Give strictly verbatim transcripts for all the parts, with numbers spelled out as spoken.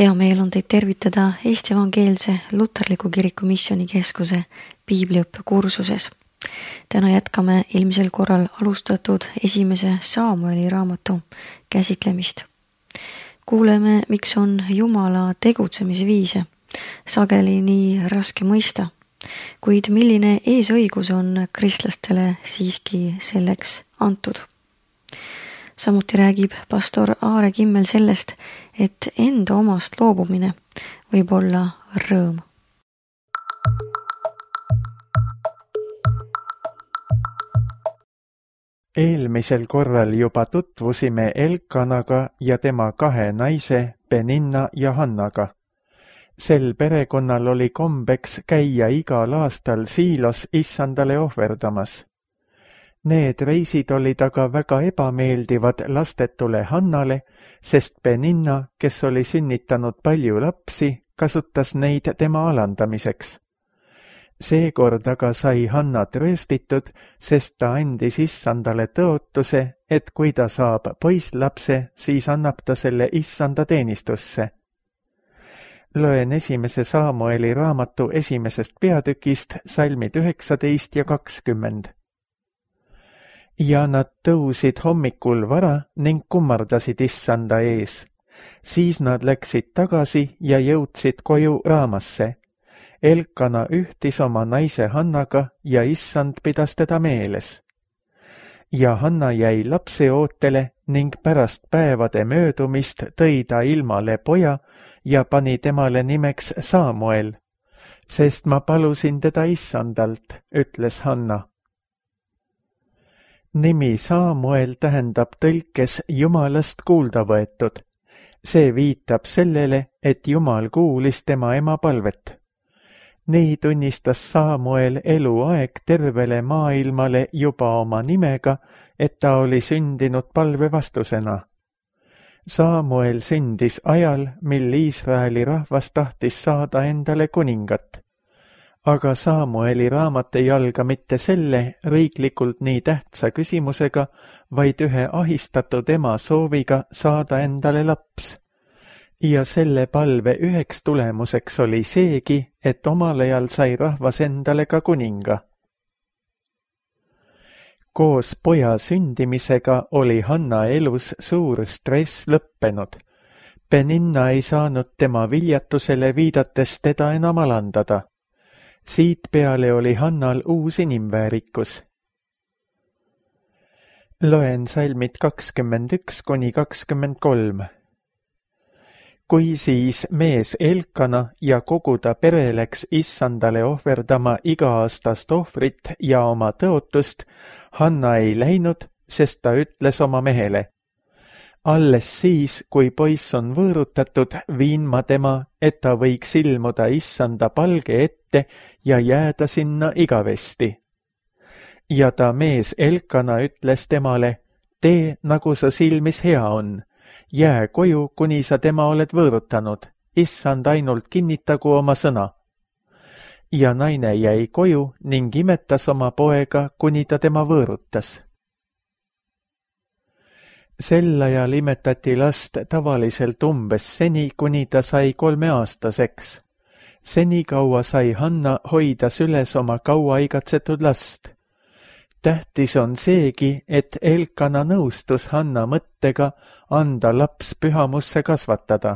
Hea meel on teid tervitada Eesti Evangeelse Luterliku Kiriku Missioonikeskuse piibliõppe kursuses. Täna jätkame eelmisel korral alustatud esimese Saamueli raamatu käsitlemist. Kuuleme, miks on Jumala tegutsemisviise sageli nii raske mõista, kuid milline eesõigus on kristlastele siiski selleks antud. Samuti räägib pastor Aare Kimmel sellest, et enda omast loobumine võib olla rõõm. Eelmisel korral juba tutvusime Elkanaga ja tema kahe naise Peninna ja Hannaga. Sel perekonnal oli kombeks käia igal aastal Siilos issandale ohverdamas. Need reisid olid aga väga ebameeldivad lastetule Hannale, sest Peninna, kes oli sünnitanud palju lapsi, kasutas neid tema alandamiseks. Seekord aga sai Hanna trööstitud, sest ta andis issandale tõotuse, et kui ta saab poisslapse, siis annab ta selle issanda teenistusse. Loen esimese Saamueli raamatu esimesest peatükist salmid üheksateist ja kakskümmend. Ja nad tõusid hommikul vara ning kummardasid issanda ees. Siis nad läksid tagasi ja jõudsid koju Raamasse. Elkana ühtis oma naise Hannaga ja issand pidas teda meeles. Ja Hanna jäi lapse ootele ning pärast päevade möödumist tõi ta ilmale poja ja pani temale nimeks Saamuel, sest ma palusin teda issandalt, ütles Hanna. Nimi Saamuel tähendab tõlkes Jumalast kuulda võetud. See viitab sellele, et Jumal kuulis tema ema palvet. Nii tunnistas Saamuel eluaeg tervele maailmale juba oma nimega, et ta oli sündinud palve vastusena. Saamuel sündis ajal, mil Iisraeli rahvas tahtis saada endale kuningat. Aga Saamueli raamat ei alga mitte selle riiklikult nii tähtsa küsimusega, vaid ühe ahistatud ema sooviga saada endale laps. Ja selle palve üheks tulemuseks oli seegi, et omal ajal sai rahvas endale ka kuninga. Koos poja sündimisega oli Hanna elus suur stress lõppenud. Peninna ei saanud tema viljatusele viidates teda enam alandada. Siit peale oli Hannal uus inimväärikus. Loen salmid kakskümmend üks kuni kakskümmend kolm. Kui siis mees Elkana ja kogu ta pere läks issandale ohverdama iga-aastast ohvrit ja oma tõotust, Hanna ei läinud, sest ta ütles oma mehele. Alles siis, kui poiss on võõrutatud, viin ma tema, et ta võiks ilmuda issanda palge ette ja jääda sinna igavesti. Ja ta mees Elkana ütles temale, tee nagu su silmis hea on, jää koju, kuni sa tema oled võõrutanud, issand ainult kinnitagu oma sõna. Ja naine jäi koju ning imetas oma poega, kuni ta tema võõrutas. Sel ajal imetati last tavaliselt umbes seni, kuni ta sai kolmeaastaseks. Seni kaua sai Hanna hoida süles oma kaua igatsetud last. Tähtis on seegi, et Elkana nõustus Hanna mõttega anda laps pühamusse kasvatada.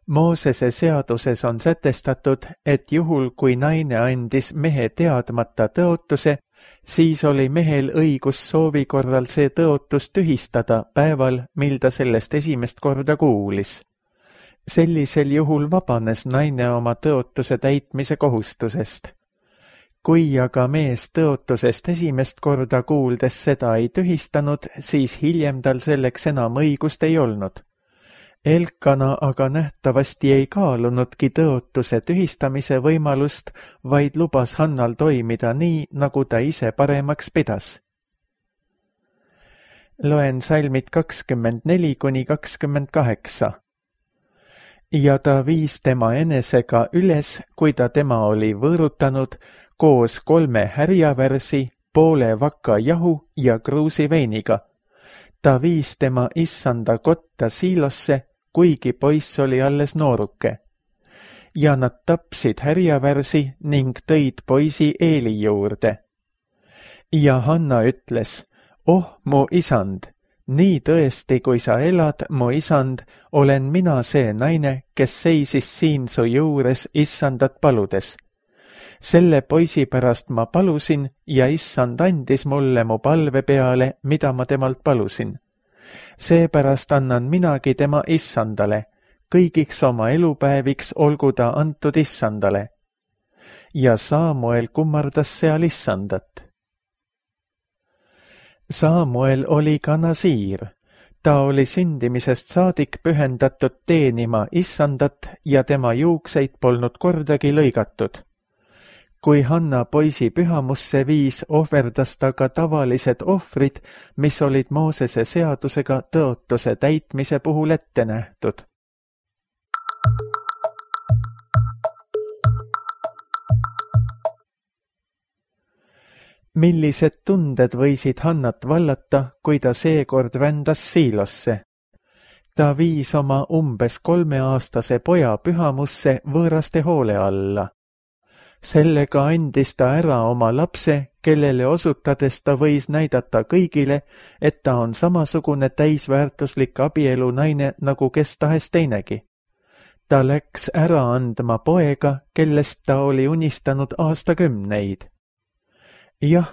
Moosese seaduses on sätestatud, et juhul kui naine andis mehe teadmata tõotuse, siis oli mehel õigus soovi korral see tõotus tühistada päeval, mil ta sellest esimest korda kuulis. Sellisel juhul vabanes naine oma tõotuse täitmise kohustusest. Kui aga mees tõotusest esimest korda kuuldes seda ei tühistanud, siis hiljem tal selleks enam õigust ei olnud. Elkana aga nähtavasti ei kaalunudki tõotuse tühistamise võimalust, vaid lubas Hannal toimida nii, nagu ta ise paremaks pidas. Loen salmid kakskümmend neli kuni kakskümmend kaheksa. Ja ta viis tema enesega üles, kui ta tema oli võõrutanud, koos kolme härjavärsi, poole vaka jahu ja kruusi veiniga. Ta viis tema issanda kotta Siilosse, kuigi poiss oli alles nooruke. Ja nad tapsid härjavärsi ning tõid poisi Eeli juurde. Ja Hanna ütles, oh mu isand, nii tõesti, kui sa elad, mu isand, olen mina see naine, kes seisis siin su juures issandat paludes. Selle poisi pärast ma palusin ja issand andis mulle mu palve peale, mida ma temalt palusin. Seepärast annan minagi tema issandale, kõigiks oma elupäeviks olgu ta antud issandale. Ja Saamuel kummardas seal issandat. Saamuel oli ka nasiir. Ta oli sündimisest saadik pühendatud teenima issandat ja tema juukseid polnud kordagi lõigatud. Kui Hanna poisi pühamusse viis, ohverdas ta ka tavalised ohvrid, mis olid Moosese seadusega tõotuse täitmise puhul ette nähtud. Millised tunded võisid Hannat vallata, kui ta seekord vändas Siilosse? Ta viis oma umbes kolmeaastase poja pühamusse võõraste hoole alla. Sellega andis ta ära oma lapse, kellele osutades ta võis näidata kõigile, et ta on samasugune täisväärtuslik abielu naine nagu kes tahes teinegi. Ta läks ära andma poega, kellest ta oli unistanud aastakümneid. Jah,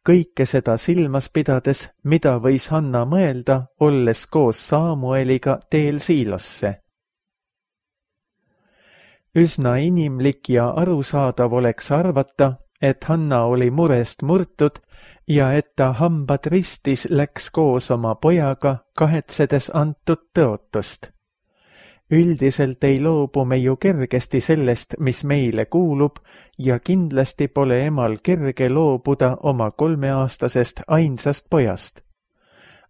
kõike seda silmas pidades, mida võis Hanna mõelda, olles koos Saamueliga teel Siilosse. Üsna inimlik ja arusaadav oleks arvata, et Hanna oli murest murtud ja et ta hambad ristis läks koos oma pojaga, kahetsedes antud tõotust. Üldiselt ei loobu me ju kergesti sellest, mis meile kuulub, ja kindlasti pole emal kerge loobuda oma kolmeaastasest ainsast pojast.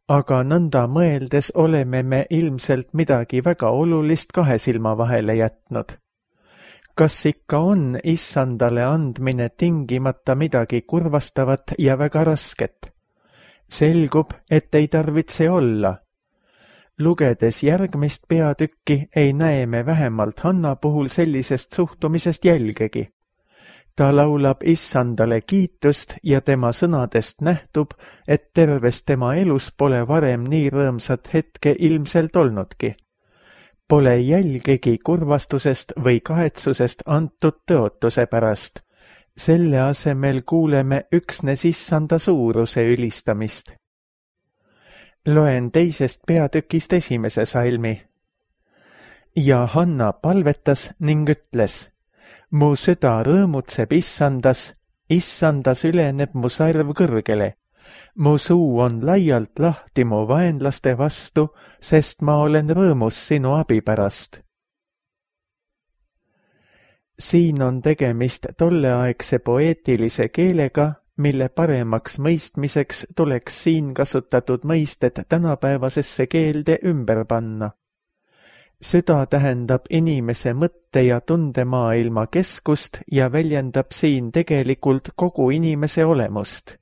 Aga nõnda mõeldes oleme me ilmselt midagi väga olulist kahe silma vahele jätnud. Kas ikka on issandale andmine tingimata midagi kurvastavat ja väga rasket? Selgub, et ei tarvitse olla. Lugedes järgmist peatükki ei näe me vähemalt Hanna puhul sellisest suhtumisest jälgegi. Ta laulab issandale kiitust ja tema sõnadest nähtub, et terves tema elus pole varem nii rõõmsat hetke ilmselt olnudki. Pole jälgegi kurvastusest või kahetsusest antud tõotuse pärast. Selle asemel kuuleme üksnes issanda suuruse ülistamist. Loen teisest peatükist esimese salmi. Ja Hanna palvetas ning ütles, mu süda rõõmutseb issandas, issandas üleneb mu sarv kõrgele. Mu suu on laialt lahti mu vaenlaste vastu, sest ma olen rõõmus sinu abi pärast. Siin on tegemist tolleaegse poeetilise keelega, mille paremaks mõistmiseks tuleks siin kasutatud mõisted tänapäevasesse keelde ümber panna. Süda tähendab inimese mõtte- ja tundemaailma keskust ja väljendab siin tegelikult kogu inimese olemust.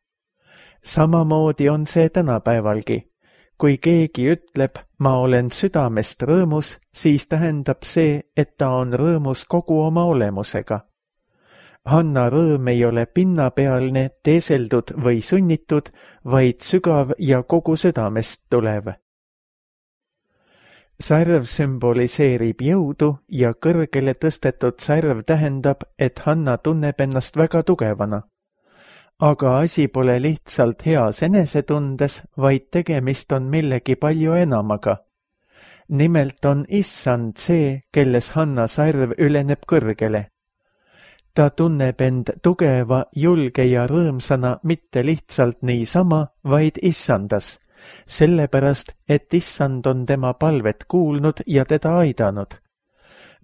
Samamoodi on see tänapäevalgi. Kui keegi ütleb, ma olen südamest rõõmus, siis tähendab see, et ta on rõõmus kogu oma olemusega. Hanna rõõm ei ole pinnapealne, teeseldud või sunnitud, vaid sügav ja kogu südamest tulev. Sarv sümboliseerib jõudu ja kõrgele tõstetud sarv tähendab, et Hanna tunneb ennast väga tugevana. Aga asi pole lihtsalt heas enesetundes, vaid tegemist on millegi palju enamaga. Nimelt on issand see, kelles Hanna sarv üleneb kõrgele. Ta tunneb end tugeva, julge ja rõõmsana mitte lihtsalt niisama, vaid issandas, sellepärast, et issand on tema palvet kuulnud ja teda aidanud.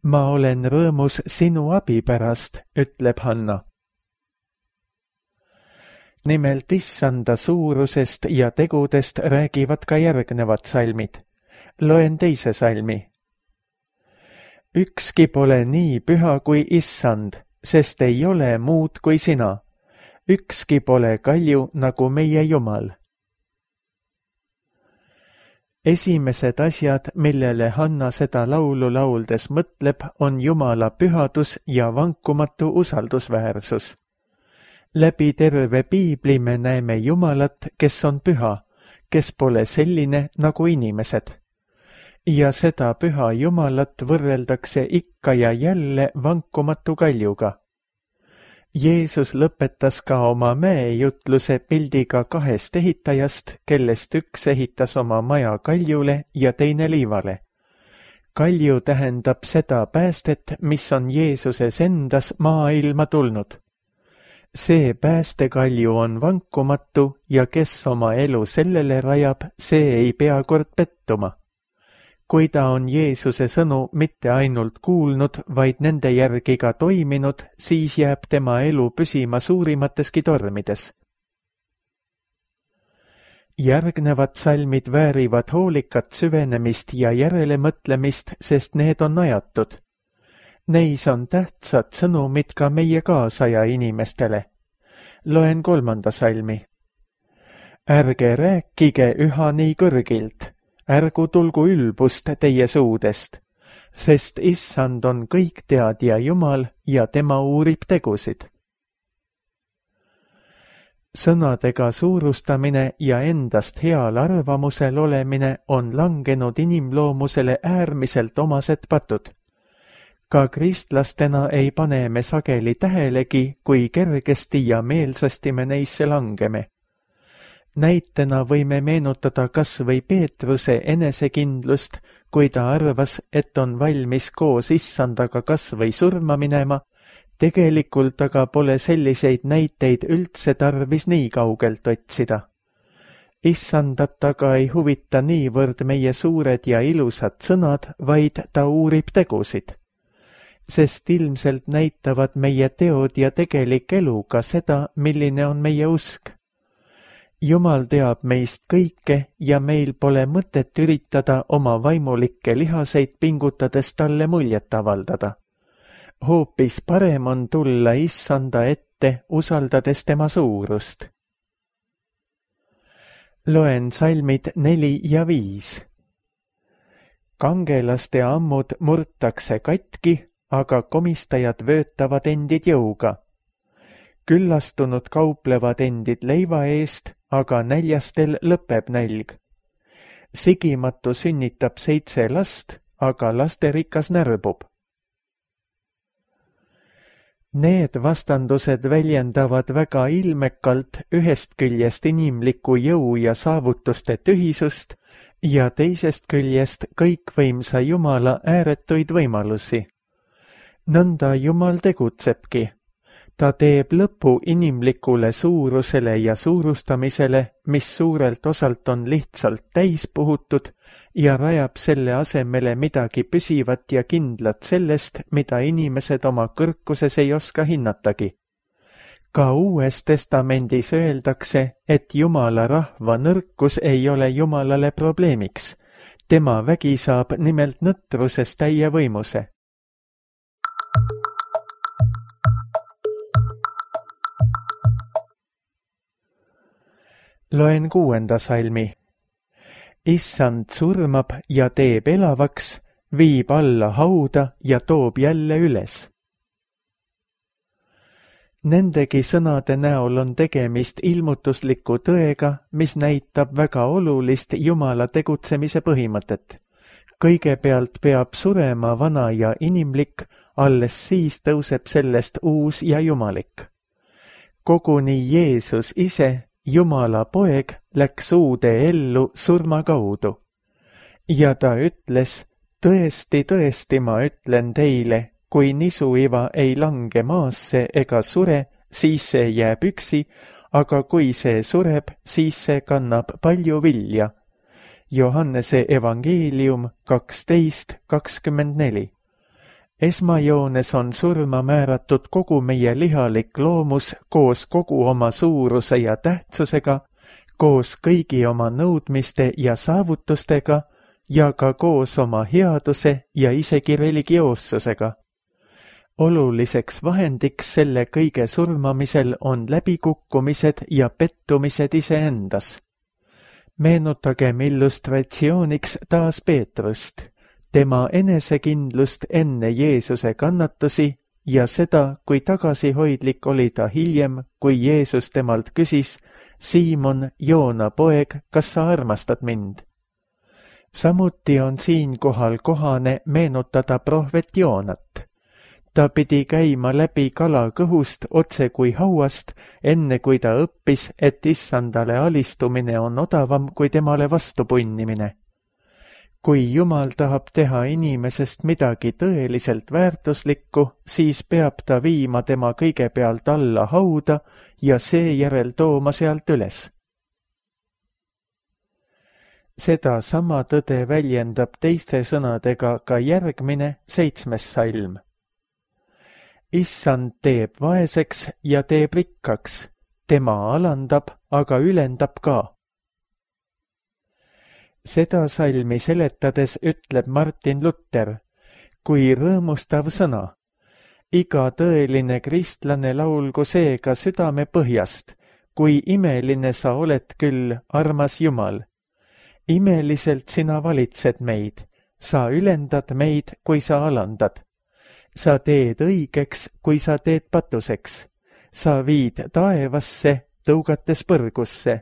Ma olen rõõmus sinu abi pärast, ütleb Hanna. Nimelt issanda suurusest ja tegudest räägivad ka järgnevad salmid. Loen teise salmi. Ükski pole nii püha kui issand, sest ei ole muud kui sina. Ükski pole kalju nagu meie Jumal. esimesed asjad, millele Hanna seda laulu lauldes mõtleb, on Jumala pühadus ja vankumatu usaldusväärsus. Läbi terve piibli me näeme Jumalat, kes on püha, kes pole selline nagu inimesed. Ja seda püha Jumalat võrreldakse ikka ja jälle vankumatu kaljuga. Jeesus lõpetas ka oma mäejutluse pildiga kahest ehitajast, kellest üks ehitas oma maja kaljule ja teine liivale. Kalju tähendab seda päästet, mis on Jeesuses endas maailma tulnud. See päästekalju on vankumatu ja kes oma elu sellele rajab, see ei pea kord pettuma. Kui ta on Jeesuse sõnu mitte ainult kuulnud, vaid nende järgi ka toiminud, siis jääb tema elu püsima suurimateski tormides. Järgnevad salmid väärivad hoolikat süvenemist ja järelemõtlemist, sest need on ajatud. Neis on tähtsad sõnumid ka meie kaasaja inimestele. Loen kolmanda salmi. Ärge rääkige üha nii kõrgilt. Ärgu tulgu ülbust teie suudest, sest issand on kõikteadja Jumal ja tema uurib tegusid. Sõnadega suurustamine ja endast heal arvamusel olemine on langenud inimloomusele äärmiselt omased patud. Ka kristlastena ei pane me sageli tähelegi, kui kergesti ja meelsasti me neisse langeme. Näitena võime meenutada kas või Peetruse enesekindlust, kui ta arvas, et on valmis koos issandaga kas või surma minema, tegelikult aga pole selliseid näiteid üldse tarvis nii kaugelt otsida. Issandat aga ei huvita niivõrd meie suured ja ilusad sõnad, vaid ta uurib tegusid. Sest ilmselt näitavad meie teod ja tegelik elu ka seda, milline on meie usk. Jumal teab meist kõike ja meil pole mõtet üritada oma vaimulikke lihaseid pingutades talle muljet avaldada. Hoopis parem on tulla issanda ette, usaldades tema suurust. Loen salmid neli ja viis. Kangelaste ammud murtakse katki, aga komistajad vöötavad endid jõuga. Küllastunud kauplevad endid leiva eest, aga näljastel lõpeb nälg. Sigimatu sünnitab seitse last, aga lasterikas närbub. Need vastandused väljendavad väga ilmekalt ühest küljest inimliku jõu ja saavutuste tühisust ja teisest küljest kõikvõimsa Jumala ääretuid võimalusi. Nõnda Jumal tegutsebki. Ta teeb lõpu inimlikule suurusele ja suurustamisele, mis suurelt osalt on lihtsalt täis puhutud ja rajab selle asemele midagi püsivat ja kindlat sellest, mida inimesed oma kõrkuses ei oska hinnatagi. Ka Uues Testamendis öeldakse, et Jumala rahva nõrkus ei ole Jumalale probleemiks. Tema vägi saab nimelt nõtruses täie võimuse. Loen kuuenda salmi. Issand surmab ja teeb elavaks, viib alla hauda ja toob jälle üles. Nendegi sõnade näol on tegemist ilmutusliku tõega, mis näitab väga olulist Jumala tegutsemise põhimõtet. Kõigepealt peab surema vana ja inimlik, alles siis tõuseb sellest uus ja jumalik. Koguni Jeesus ise, Jumala poeg, läks uude ellu surma kaudu. Ja ta ütles, tõesti, tõesti ma ütlen teile, kui nisuiva ei lange maasse ega sure, siis see jääb üksi, aga kui see sureb, siis see kannab palju vilja. Johannese evangeelium kaksteist kakskümmend neli. Esmajoones on surma määratud kogu meie lihalik loomus koos kogu oma suuruse ja tähtsusega, koos kõigi oma nõudmiste ja saavutustega ja ka koos oma headuse ja isegi religioossusega. Oluliseks vahendiks selle kõige surmamisel on läbikukkumised ja pettumised iseendas. Meenutagem illustratsiooniks taas Peetrust, tema enesekindlust enne Jeesuse kannatusi ja seda, kui tagasihoidlik oli ta hiljem, kui Jeesus temalt küsis: Siimon, Joona poeg, kas sa armastad mind? Samuti on siinkohal kohane meenutada prohvet Joonat. Ta pidi käima läbi kala kõhust otse kui hauast, enne kui ta õppis, et issandale alistumine on odavam kui temale vastu punnimine. Kui Jumal tahab teha inimesest midagi tõeliselt väärtuslikku, siis peab ta viima tema kõigepealt alla hauda ja seejärel tooma sealt üles. Seda sama tõde väljendab teiste sõnadega ka järgmine seitsmes salm. Issand teeb vaeseks ja teeb rikkaks, tema alandab, aga ülendab ka. Seda salmi seletades ütleb Martin Luther, kui rõõmustav sõna. Iga tõeline kristlane laulgu seega südame põhjast, kui imeline sa oled küll, armas Jumal. Imeliselt sina valitsed meid, sa ülendad meid, kui sa alandad. Sa teed õigeks, kui sa teed patuseks. Sa viid taevasse, tõugates põrgusse.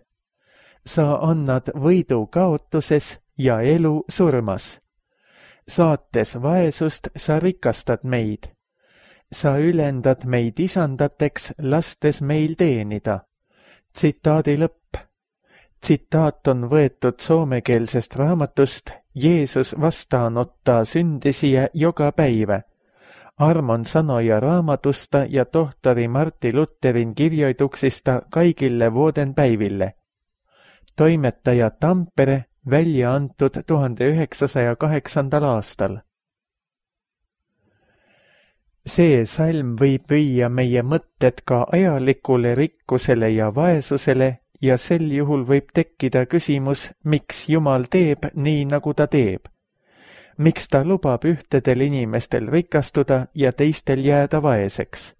Sa annad võidu kaotuses ja elu surmas. Saates vaesust sa rikastad meid. Sa ülendad meid isandateks, lastes meil teenida. Tsitaadi lõpp. Tsitaat on võetud soomekeelsest raamatust Jeesus vastaanottaa syntisiä joka päivä. Armon sanoja raamatusta ja tohtori Martti Lutherin kirjoituksista kaikille vuoden päiville. Toimetaja Tampere, välja antud tuhande üheksasaja kaheksandal aastal. See salm võib viia meie mõtted ka ajalikule rikkusele ja vaesusele ja sel juhul võib tekkida küsimus, miks Jumal teeb nii, nagu ta teeb. Miks ta lubab ühtedel inimestel rikastuda ja teistel jääda vaeseks?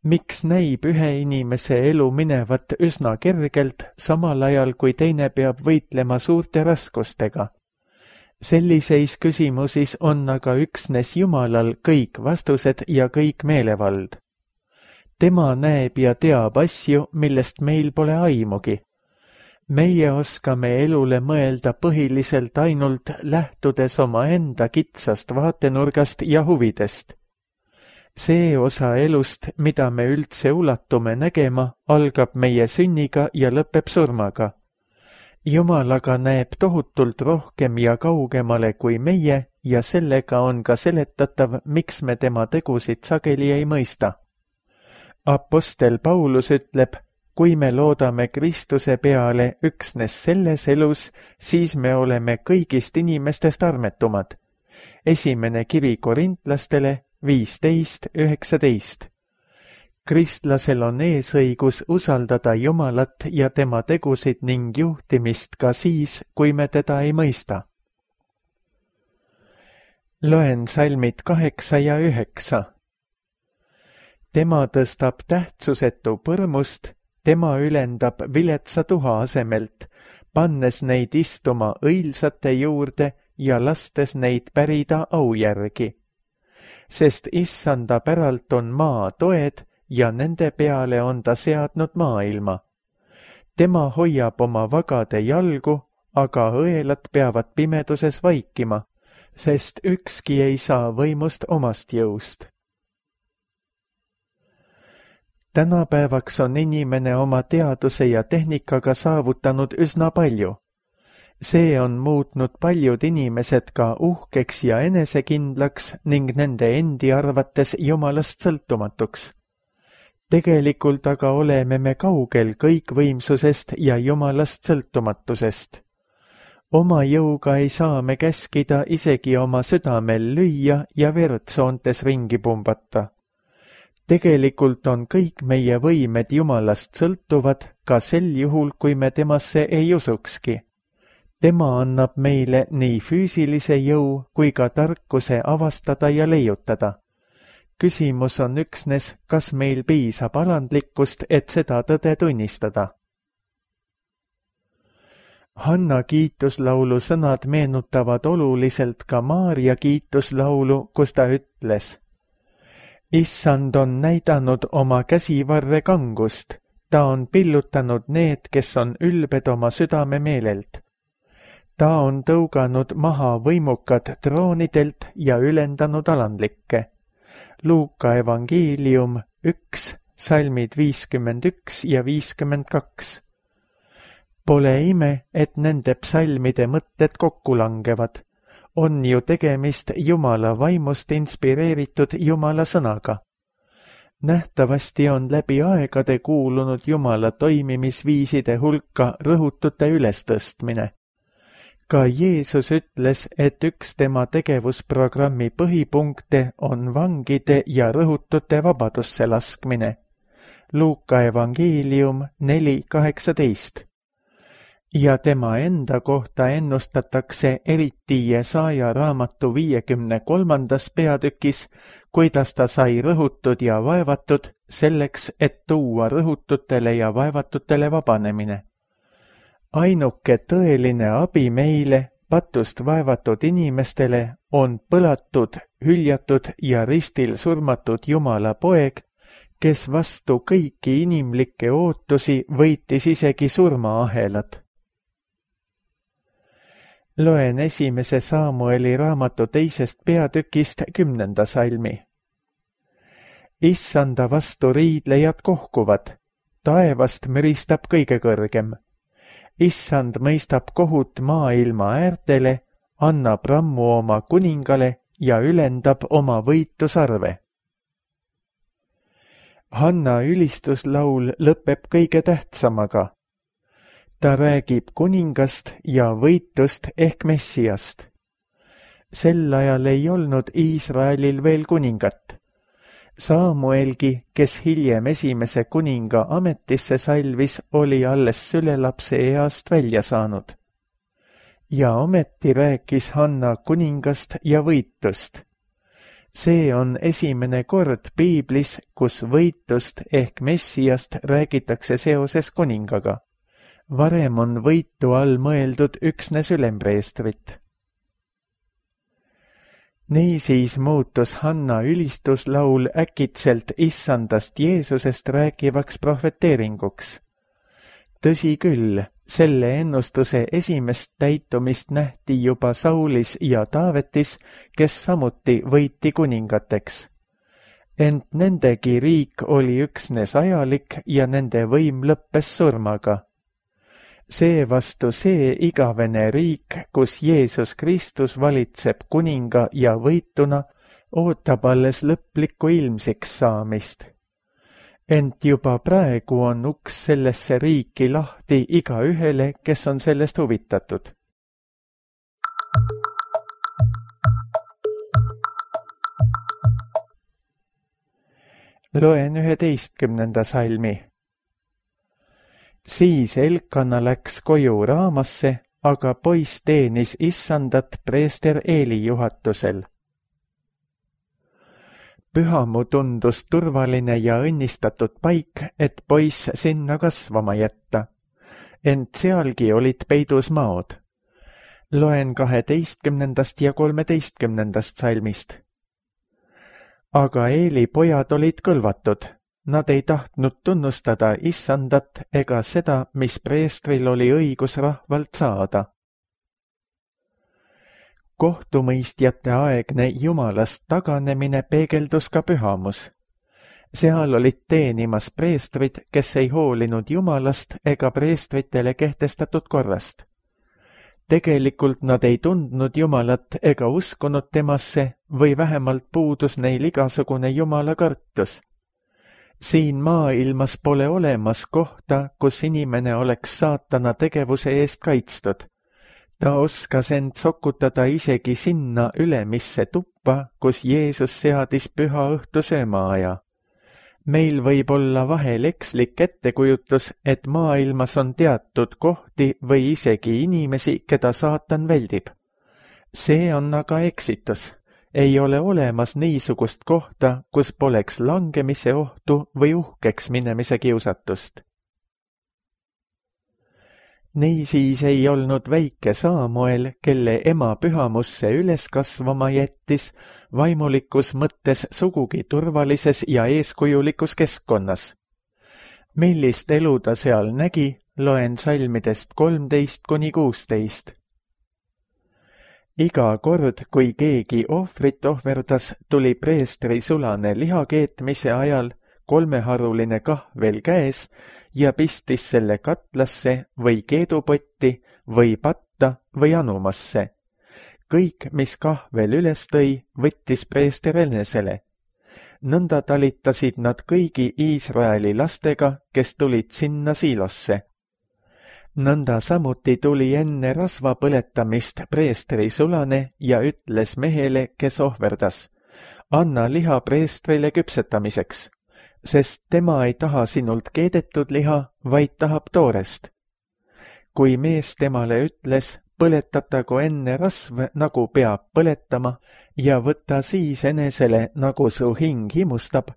Miks näib ühe inimese elu minevat üsna kergelt, samal ajal kui teine peab võitlema suurte raskustega? Selliseis küsimusis on aga üksnes Jumalal kõik vastused ja kõik meelevald. Tema näeb ja teab asju, millest meil pole aimugi. Meie oskame elule mõelda põhiliselt ainult lähtudes oma enda kitsast vaatenurgast ja huvidest. See osa elust, mida me üldse ulatume nägema, algab meie sünniga ja lõpeb surmaga. Jumal aga näeb tohutult rohkem ja kaugemale kui meie ja sellega on ka seletatav, miks me tema tegusid sageli ei mõista. Apostel Paulus ütleb, kui me loodame Kristuse peale üksnes selles elus, siis me oleme kõigist inimestest armetumad. Esimene kiri korintlastele viisteist üheksateist. Kristlasel on eesõigus usaldada Jumalat ja tema tegusid ning juhtimist ka siis, kui me teda ei mõista. Loen salmid kaheksa ja üheksa. Tema tõstab tähtsusetu põrmust, tema ülendab viletsa tuha asemelt, pannes neid istuma õilsate juurde ja lastes neid pärida au järgi. Sest issanda päralt on maa toed ja nende peale on ta seadnud maailma. Tema hoiab oma vagade jalgu, aga õelad peavad pimeduses vaikima, sest ükski ei saa võimust omast jõust. Tänapäevaks on inimene oma teaduse ja tehnikaga saavutanud üsna palju. See on muutnud paljud inimesed ka uhkeks ja enesekindlaks ning nende endi arvates Jumalast sõltumatuks. Tegelikult aga oleme me kaugel kõikvõimsusest ja Jumalast sõltumatusest. Oma jõuga ei saa me käskida isegi oma südamel lüüa ja vertsoontes ringi pumbata. Tegelikult on kõik meie võimed Jumalast sõltuvad ka sel juhul, kui me temasse ei usukski. Tema annab meile nii füüsilise jõu kui ka tarkuse avastada ja leiutada. Küsimus on üksnes, kas meil piisab alandlikkust, et seda tõde tunnistada. Hanna kiituslaulu sõnad meenutavad oluliselt ka Maarja kiituslaulu, kus ta ütles: Issand on näidanud oma käsivarre kangust, ta on pillutanud need, kes on ülbed oma südame meelelt. Ta on tõuganud maha võimukad troonidelt ja ülendanud alandlikke. Luuka evangeelium üks, salmid viiskümmend üks ja viiskümmend kaks. Pole ime, et nende psalmide mõtted kokku langevad. On ju tegemist Jumala vaimust inspireeritud Jumala sõnaga. Nähtavasti on läbi aegade kuulunud Jumala toimimisviiside hulka rõhutute ülestõstmine. Ka Jeesus ütles, et üks tema tegevusprogrammi põhipunkte on vangide ja rõhutute vabadusse laskmine. Luuka evangeelium neli kaheksateist. Ja tema enda kohta ennustatakse eriti Jesaja raamatu viiekümne kolmandas peatükis, kuidas ta sai rõhutud ja vaevatud selleks, et tuua rõhututele ja vaevatutele vabanemine. Ainuke tõeline abi meile, patust vaevatud inimestele, on põlatud, hüljatud ja ristil surmatud Jumala poeg, kes vastu kõiki inimlikke ootusi võitis isegi surmaahelad. Loen esimese Saamueli raamatu teisest peatükist kümnenda salmi. Issanda vastu riidlejad kohkuvad, taevast müristab kõige kõrgem. Issand mõistab kohut maailma äärtele, annab rammu oma kuningale ja ülendab oma võitusarve. Hanna ülistuslaul lõpeb kõige tähtsamaga. Ta räägib kuningast ja võitust ehk Messiast. Sel ajal ei olnud Iisraelil veel kuningat. Saamuelgi, kes hiljem esimese kuninga ametisse salvis, oli alles sülelapse east välja saanud. Ja ometi rääkis Hanna kuningast ja võitust. See on esimene kord piiblis, kus võitust ehk Messiast räägitakse seoses kuningaga. Varem on võitu all mõeldud üksnes ülempreestrit. Niisiis muutus Hanna ülistuslaul äkitselt issandast Jeesusest rääkivaks prohveteeringuks. Tõsi küll, selle ennustuse esimest täitumist nähti juba Saulis ja Taavetis, kes samuti võiti kuningateks. Ent nendegi riik oli üksnes ajalik ja nende võim lõppes surmaga. Seevastu see igavene riik, kus Jeesus Kristus valitseb kuninga ja võituna, ootab alles lõplikku ilmsiks saamist. Ent juba praegu on uks sellesse riiki lahti igaühele, kes on sellest huvitatud. Loen üheteistkümnenda salmi. Siis Elkana läks koju Raamasse, aga poiss teenis issandat preester Eeli juhatusel. Pühamu tundus turvaline ja õnnistatud paik, et poiss sinna kasvama jätta. Ent sealgi olid peidus maod. Loen kaheteistkümnendast ja kolmeteistkümnendast salmist. Aga Eeli pojad olid kõlvatud. Nad ei tahtnud tunnustada issandat ega seda, mis preestril oli õigus rahvalt saada. Kohtumõistjate aegne Jumalast taganemine peegeldus ka pühamus. Seal olid teenimas preestrid, kes ei hoolinud Jumalast ega preestritele kehtestatud korrast. Tegelikult nad ei tundnud Jumalat ega uskunud temasse või vähemalt puudus neil igasugune Jumala kartus. Siin maailmas pole olemas kohta, kus inimene oleks saatana tegevuse eest kaitstud. Ta oskas end sokutada isegi sinna ülemisse tuppa, kus Jeesus seadis püha õhtu söömaaja. Meil võib olla vahel ekslik ettekujutus, et maailmas on teatud kohti või isegi inimesi, keda saatan väldib. See on aga eksitus. Ei ole olemas niisugust kohta, kus poleks langemise ohtu või uhkeks minemise kiusatust. Niisiis ei olnud väike Saamuel, kelle ema pühamusse üles kasvama jättis, vaimulikus mõttes sugugi turvalises ja eeskujulikus keskkonnas. Millist elu ta seal nägi, loen salmidest kolmteist kuni kuusteist. Iga kord, kui keegi ohvrit ohverdas, tuli preestri sulane lihakeetmise ajal kolmeharuline kahvel käes ja pistis selle katlasse või keedupotti või patta või anumasse. Kõik, mis kahvel üles tõi, võttis preester enesele. Nõnda talitasid nad kõigi Iisraeli lastega, kes tulid sinna siilosse. Nõnda samuti tuli enne rasva põletamist preestri sulane ja ütles mehele, kes ohverdas: anna liha preestrile küpsetamiseks, sest tema ei taha sinult keedetud liha, vaid tahab toorest. Kui mees temale ütles: põletatagu enne rasv, nagu peab põletama, ja võta siis enesele, nagu su hing himustab,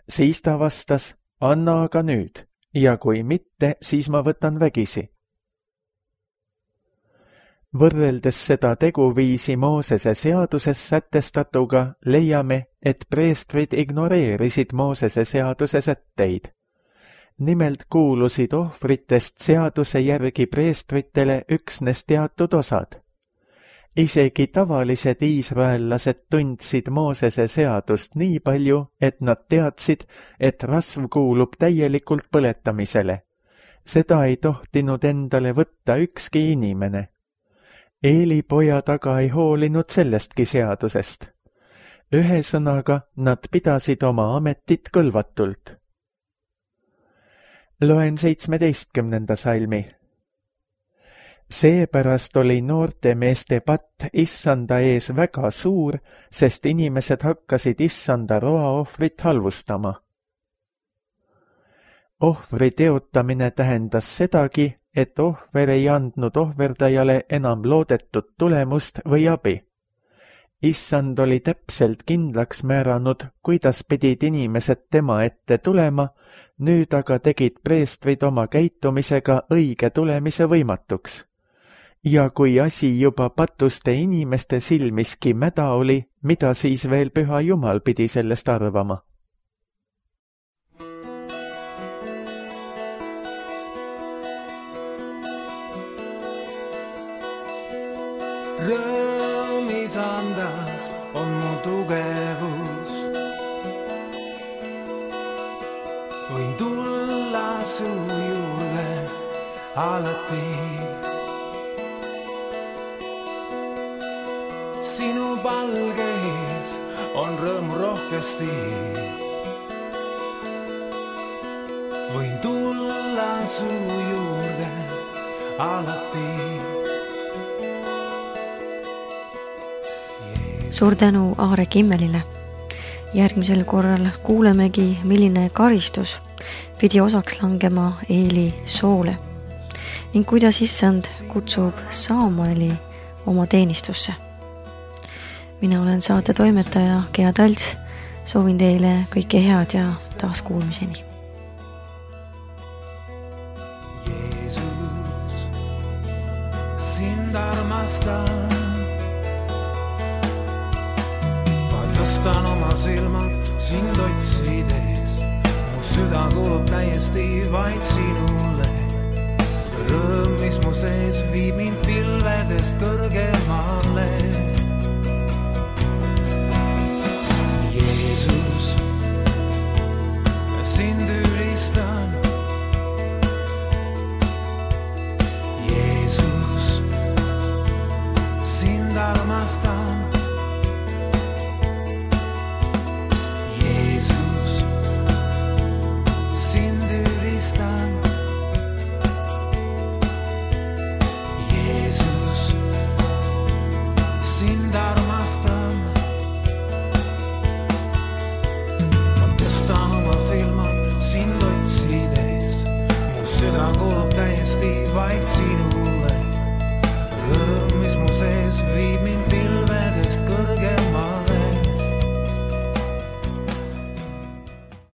siis ta vastas: anna aga nüüd, ja kui mitte, siis ma võtan vägisi. Võrreldes seda teguviisi Moosese seaduses sätestatuga, leiame, et preestrid ignoreerisid Moosese seaduse sätteid. Nimelt kuulusid ohvritest seaduse järgi preestritele üksnes teatud osad. Isegi tavalised iisraellased tundsid Moosese seadust nii palju, et nad teadsid, et rasv kuulub täielikult põletamisele. Seda ei tohtinud endale võtta ükski inimene. Eeli pojad aga ei hoolinud sellestki seadusest. Ühesõnaga, nad pidasid oma ametit kõlvatult. Loen seitsmeteistkümnenda salmi. Seepärast oli noorte meeste patt issanda ees väga suur, sest inimesed hakkasid issanda roaohvrit halvustama. Ohvri teotamine tähendas sedagi, et ohver ei andnud ohverdajale enam loodetud tulemust või abi. Issand oli täpselt kindlaks määranud, kuidas pidid inimesed tema ette tulema, nüüd aga tegid preestrid oma käitumisega õige tulemise võimatuks. Ja kui asi juba patuste inimeste silmiski mäda oli, mida siis veel püha Jumal pidi sellest arvama? Rõõm isandas on mu tugevus. Võin tulla su juurde alati. Sinu palgeis on rõõmu rohkesti. Võin tulla su juurde alati. Suur tänu Aare Kimmelile. Järgmisel korral kuulemegi, milline karistus pidi osaks langema Eeli soole ning kuidas issand kutsub Saamueli oma teenistusse. Mina olen saate toimetaja Gea Talts. Soovin teile kõike head ja taas kuulmiseni. Jeesus, sind armastan. Tõstan oma silmad sind otsides. Mu süda kuulub täiesti vaid sinule. Rõõm, mis mu sees viib mind pilvedest kõrgemale.